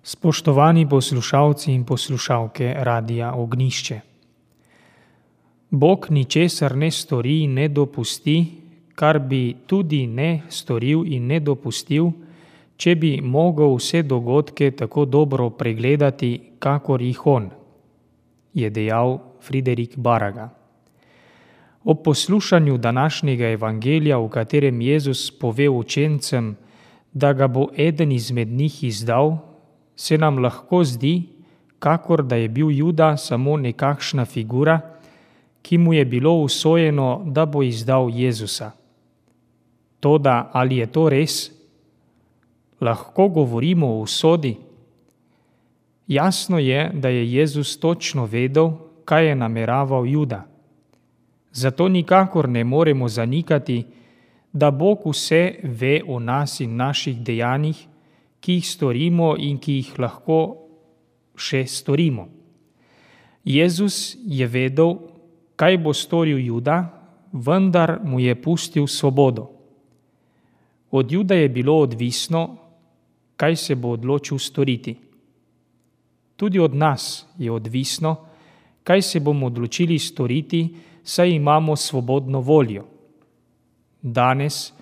Spoštovani poslušalci in poslušalke Radia Ognjišče. Bog ničesar ne stori in ne dopusti, kar bi tudi ne storil in ne dopustil, če bi mogel vse dogodke tako dobro pregledati, kakor jih on, je dejal Friderik Baraga. Ob poslušanju današnjega evangelija, v katerem Jezus pove učencem, da ga bo eden izmed njih izdal, se nam lahko zdi, kakor da je bil Juda samo nekakšna figura, ki mu je bilo usojeno, da bo izdal Jezusa. Toda ali je to res? Lahko govorimo o usodi? Jasno je, da je Jezus točno vedel, kaj je nameraval Juda. Zato nikakor ne moremo zanikati, da Bog vse ve o nas in naših dejanjih, ki jih storimo in ki jih lahko še storimo. Jezus je vedel, kaj bo storil Juda, vendar mu je pustil svobodo. Od Juda je bilo odvisno, kaj se bo odločil storiti. Tudi od nas je odvisno, kaj se bomo odločili storiti, saj imamo svobodno voljo. Danes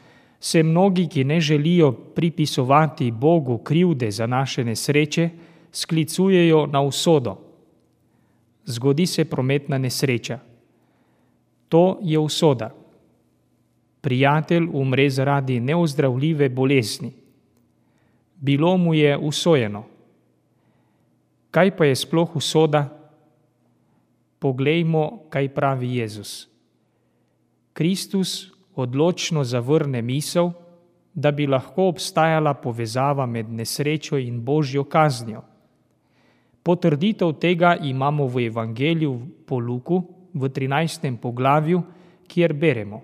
se mnogi, ki ne želijo pripisovati Bogu krivde za naše nesreče, sklicujejo na usodo. Zgodi se prometna nesreča. To je usoda. Prijatelj umre zaradi neozdravljive bolezni. Bilo mu je usojeno. Kaj pa je sploh usoda? Poglejmo, kaj pravi Jezus. Kristus odločno zavrne misel, da bi lahko obstajala povezava med nesrečo in Božjo kaznijo. Potrditev tega imamo v Evangeliju po Luku v 13. poglavju, kjer beremo.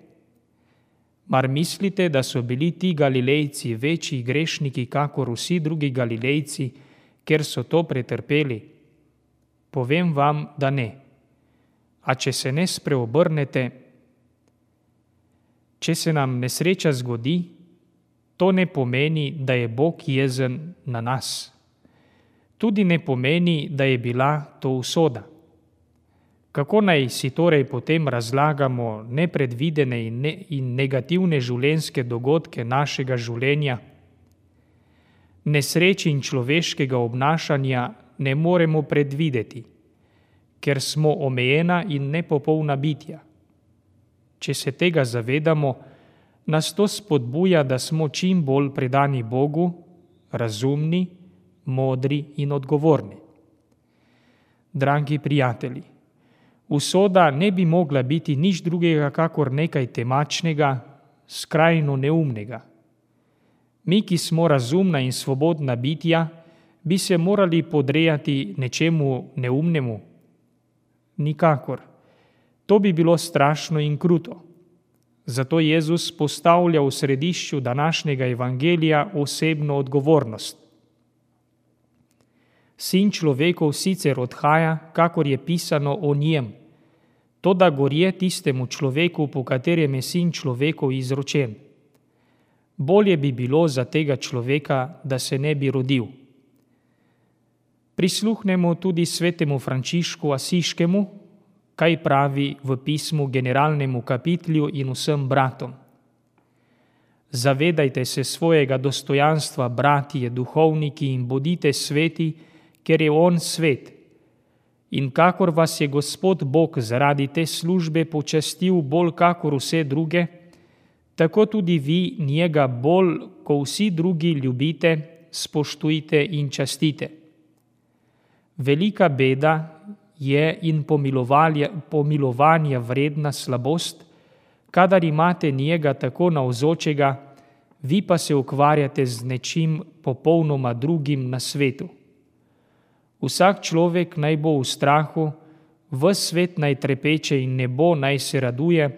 Mar mislite, da so bili ti Galilejci večji grešniki, kakor vsi drugi Galilejci, ker so to pretrpeli? Povem vam, da ne. A če se ne spreobrnete, če se nam nesreča zgodi, to ne pomeni, da je Bog jezen na nas. Tudi ne pomeni, da je bila to usoda. Kako naj si torej potem razlagamo nepredvidene in negativne življenjske dogodke našega življenja? Nesreči in človeškega obnašanja ne moremo predvideti, ker smo omejena in nepopolna bitja. Če se tega zavedamo, nas to spodbuja, da smo čim bolj predani Bogu, razumni, modri in odgovorni. Dragi prijatelji, usoda ne bi mogla biti nič drugega, kakor nekaj temačnega, skrajno neumnega. Mi, ki smo razumna in svobodna bitja, bi se morali podrejati nečemu neumnemu? Nikakor. To bi bilo strašno in kruto. Zato Jezus postavlja v središču današnjega evangelija osebno odgovornost. Sin človekov sicer odhaja, kakor je pisano o njem, toda gorje tistemu človeku, po katerem je sin človekov izročen. Bolje bi bilo za tega človeka, da se ne bi rodil. Prisluhnemo tudi svetemu Frančišku Asiškemu, kaj pravi v pismu generalnemu kapitlju in vsem bratom. Zavedajte se svojega dostojanstva, bratje, duhovniki, in bodite sveti, ker je on svet. In kakor vas je Gospod Bog zaradi te službe počastil bolj kakor vse druge, tako tudi vi njega bolj, ko vsi drugi ljubite, spoštujte in častite. Velika beda je in pomilovanja vredna slabost, kadar imate njega tako navzočega, vi pa se ukvarjate z nečim popolnoma drugim na svetu. Vsak človek naj bo v strahu, ves svet naj trepeče in nebo naj se raduje,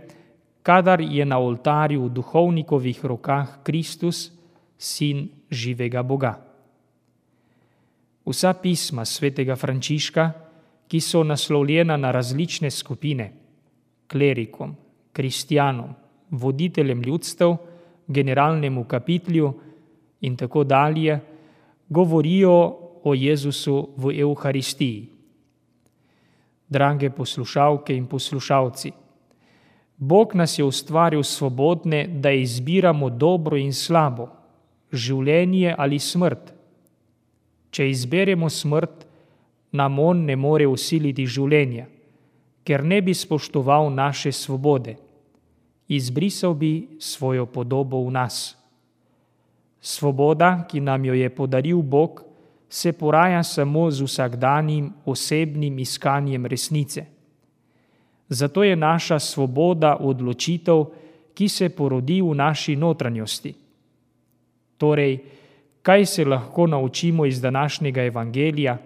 kadar je na oltarju v duhovnikovih rokah Kristus, sin živega Boga. Vsa pisma svetega Frančiška, ki so naslovljena na različne skupine, klerikom, kristjanom, voditeljem ljudstev, generalnemu kapitlju in tako dalje, govorijo o Jezusu v Evharistiji. Drage poslušalke in poslušalci, Bog nas je ustvaril svobodne, da izbiramo dobro in slabo, življenje ali smrt. Če izberemo smrt, nam on ne more vsiliti življenja, ker ne bi spoštoval naše svobode. Izbrisal bi svojo podobo v nas. Svoboda, ki nam jo je podaril Bog, se poraja samo z vsakdanjim osebnim iskanjem resnice. Zato je naša svoboda odločitev, ki se porodi v naši notranjosti. Torej, kaj se lahko naučimo iz današnjega evangelija?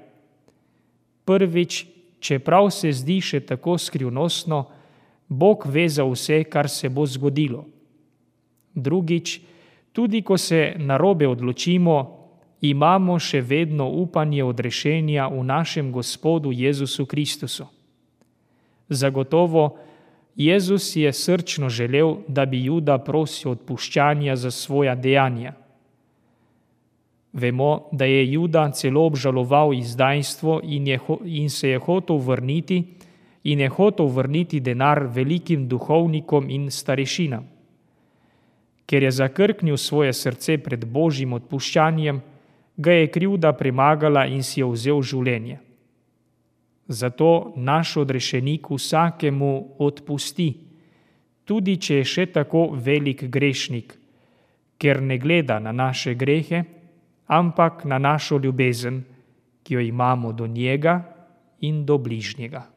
Prvič, čeprav se zdi še tako skrivnostno, Bog ve za vse, kar se bo zgodilo. Drugič, tudi ko se narobe odločimo, imamo še vedno upanje odrešenja v našem Gospodu Jezusu Kristusu. Zagotovo, Jezus je srčno želel, da bi Juda prosil odpuščanja za svoja dejanja. Vemo, da je Juda celo obžaloval izdajstvo in se je hotel vrniti denar velikim duhovnikom in starešinam. Ker je zakrknil svoje srce pred Božjim odpuščanjem, ga je krivda premagala in si je vzel življenje. Zato naš odrešenik vsakemu odpusti, tudi če je še tako velik grešnik, ker ne gleda na naše grehe, ampak na našo ljubezen, ki jo imamo do njega in do bližnjega.